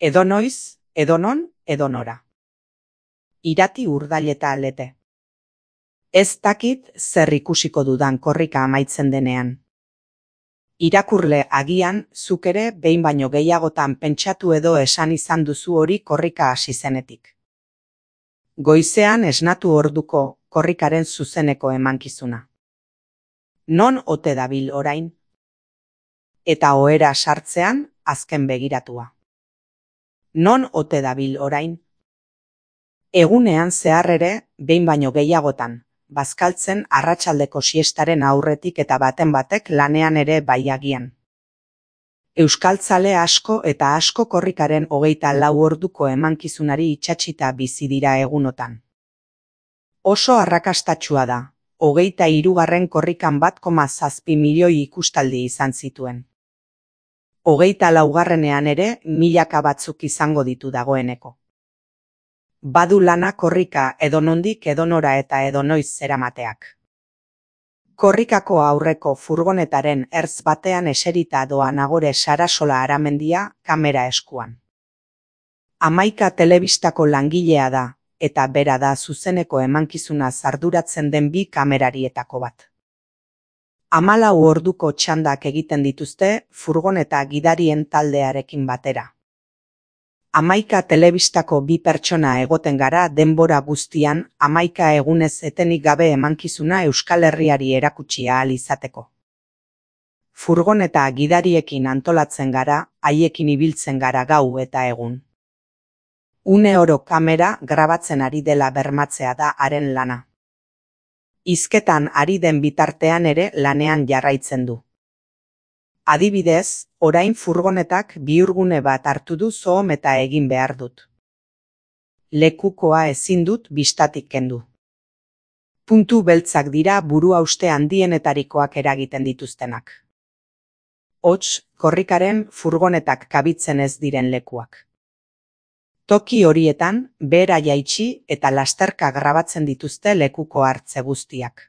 Edonoiz, edonon, edonora. Irati urdaileta lete. Ez dakit zer ikusiko dudan korrika amaitzen denean. Irakurle agian zuk ere behin baino gehiagotan pentsatu edo esan izan duzu hori korrika hasi zenetik. Goizean esnatu orduko korrikaren zuzeneko emankizuna. Non ote dabil orain? Eta ohera sartzean azken begiratua. Non ote dabil orain? Egunean zehar ere, behin baino gehiagotan, bazkaltzen arratsaldeko siestaren aurretik eta baten batek lanean ere bai agian. Euskaltzale asko eta asko korrikaren 24 orduko emankizunari itsatsita bizi dira egunotan. Oso arrakastatsua da, 23. korrikan 1,7 milioi ikustaldi izan zituen. 24. ere milaka batzuk izango ditu dagoeneko. Badu lana korrika edonondik edonora eta edonoiz zeramateak. Korrikako aurreko furgonetaren ertz batean eserita doa Nagore Sarasola Aramendia kamera eskuan. 11 telebistako langilea da, eta bera da zuzeneko emankizuna arduratzen den bi kamerarietako bat. 14 orduko txandak egiten dituzte furgoneta gidarien taldearekin batera. 11 telebistako bi pertsona egoten gara denbora guztian 11 egunez etenik gabe emankizuna Euskal Herriari erakutsi ahal izateko. Furgoneta gidariekin antolatzen gara, haiekin ibiltzen gara gau eta egun. Une oro kamera grabatzen ari dela bermatzea da haren lana. Hizketan ari den bitartean ere lanean jarraitzen du. Adibidez, orain furgonetak bihurgune bat hartu du zoom eta egin behar dut. Lekukoa ezin dut bistatik kendu. Puntu beltzak dira buruhauste handienetarikoak eragiten dituztenak. Hots, korrikaren furgonetak kabitzen ez diren lekuak. Toki horietan, behera jaitsi eta lasterka grabatzen dituzte lekuko hartze guztiak.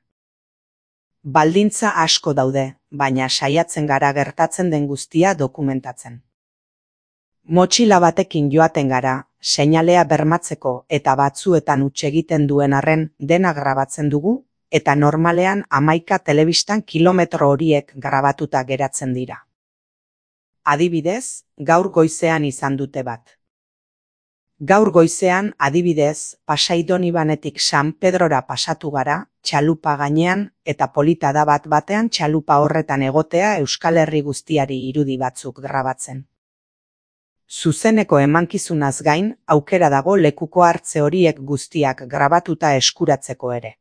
Baldintza asko daude, baina saiatzen gara gertatzen den guztia dokumentatzen. Motxila batekin joaten gara, seinalea bermatzeko eta batzuetan huts egiten duen arren dena grabatzen dugu, eta normalean 11 telebistan kilometro horiek grabatuta geratzen dira. Adibidez, gaur goizean izan dute bat. Gaur goizean, adibidez, Pasai Donibanetik San Pedrora pasatu gara, txalupa gainean, eta polita da bat batean txalupa horretan egotea Euskal Herri guztiari irudi batzuk grabatzen. Zuzeneko emankizunaz gain, aukera dago lekuko hartze horiek guztiak grabatuta eskuratzeko ere.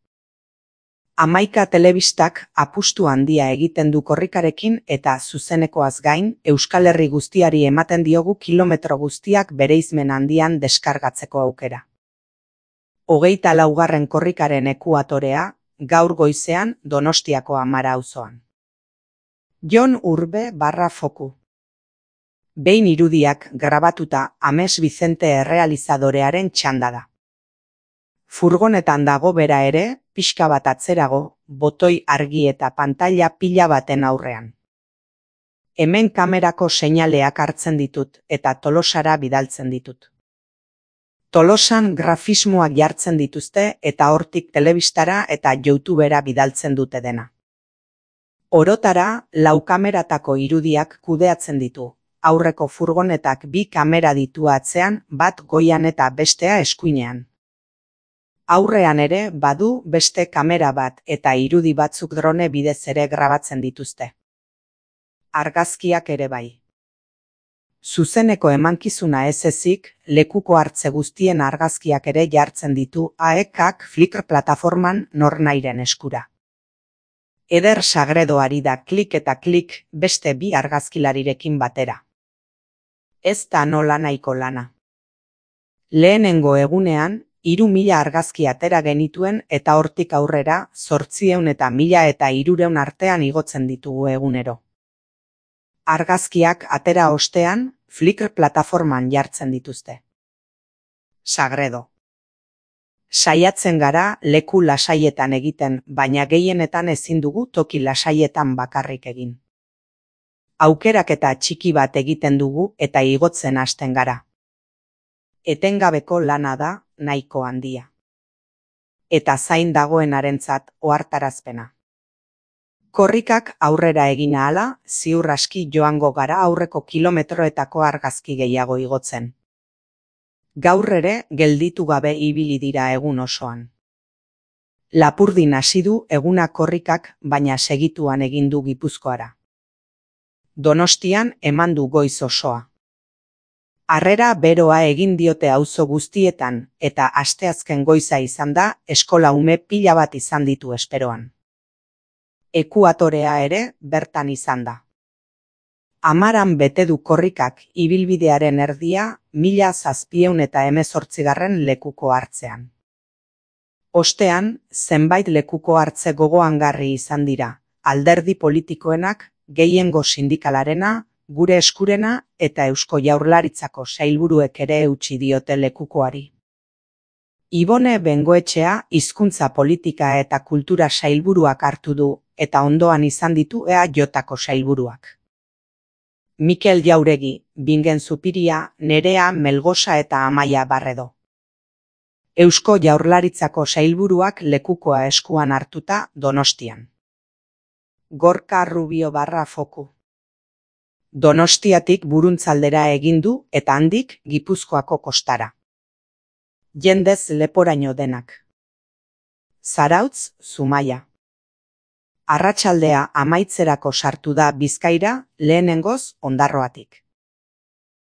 11 telebistak apustu handia egiten du korrikarekin eta zuzenekoaz gain, Euskal Herri guztiari ematen diogu kilometro guztiak bereizmen handian deskargatzeko aukera. 24. korrikaren ekuatorea, gaur goizean Donostiako Amara auzoan. Jon Urbe /Foku. Behin irudiak grabatuta Ames Vicente errealizadorearen txanda da. Furgonetan dago bera ere, pixka bat atzerago, botoi argi eta pantaila pila baten aurrean. Hemen kamerako seinaleak hartzen ditut eta Tolosara bidaltzen ditut. Tolosan grafismoak jartzen dituzte eta hortik telebistara eta YouTubera bidaltzen dute dena. Orotara, 4 kameratako irudiak kudeatzen ditu. Aurreko furgonetak 2 kamera ditu atzean, bat goian eta bestea eskuinean. Aurrean ere badu beste kamera bat eta irudi batzuk drone bidez ere grabatzen dituzte. Argazkiak ere bai. Zuzeneko emankizuna ez ezik, lekuko hartze guztien argazkiak ere jartzen ditu AEK-ak Flickr plataforman nornairen eskura. Eder Sagredo ari da klik eta klik beste 2 argazkilarirekin batera. Ez da nola nahiko lana. Lehenengo egunean, 3.000 argazki atera genituen eta hortik aurrera 800 eta 1.000 eta 300 artean igotzen ditugu egunero. Argazkiak atera ostean, Flickr plataforman jartzen dituzte. Sagredo. Saiatzen gara leku lasaietan egiten, baina gehienetan ezin dugu toki lasaietan bakarrik egin. Aukeraketa txiki bat egiten dugu eta igotzen hasten gara. Etengabeko lana da nahiko handia. Eta zain dagoenarentzat ohartarazpena. Korrikak aurrera egin ahala, ziur aski joango gara aurreko kilometroetako argazki gehiago igotzen. Gaur ere gelditu gabe ibili dira egun osoan. Lapurdin hasi du eguna korrikak, baina segituan egin du Gipuzkoara. Donostian eman du goiz osoa. Harrera beroa egin diote auzo guztietan, eta asteazken goiza izan da eskola ume pila bat izan ditu esperoan. Ekuatorea ere bertan izan da. 10 bete du korrikak ibilbidearen erdia 1718 lekuko hartzean. Ostean, zenbait lekuko hartze gogoangarri izan dira, alderdi politikoenak, gehiengo sindikalarena, gure eskurena eta Eusko Jaurlaritzako sailburuek ere eutsi diote lekukoari. Ibone Bengoetxea hizkuntza politika eta kultura sailburuak hartu du, eta ondoan izan ditu EAJko sailburuak. Mikel Jauregi, Bingen Zupiria, Nerea Melgosa eta Amaia Barredo. Eusko Jaurlaritzako sailburuak lekukoa eskuan hartuta Donostian. Gorka Rubio Foku. Donostiatik Buruntzaldera egin du eta handik Gipuzkoako kostara. Jendez leporaino denak. Zarautz, Zumaia. Arratsaldea amaitzerako sartu da Bizkaira, lehenengoz Ondarroatik.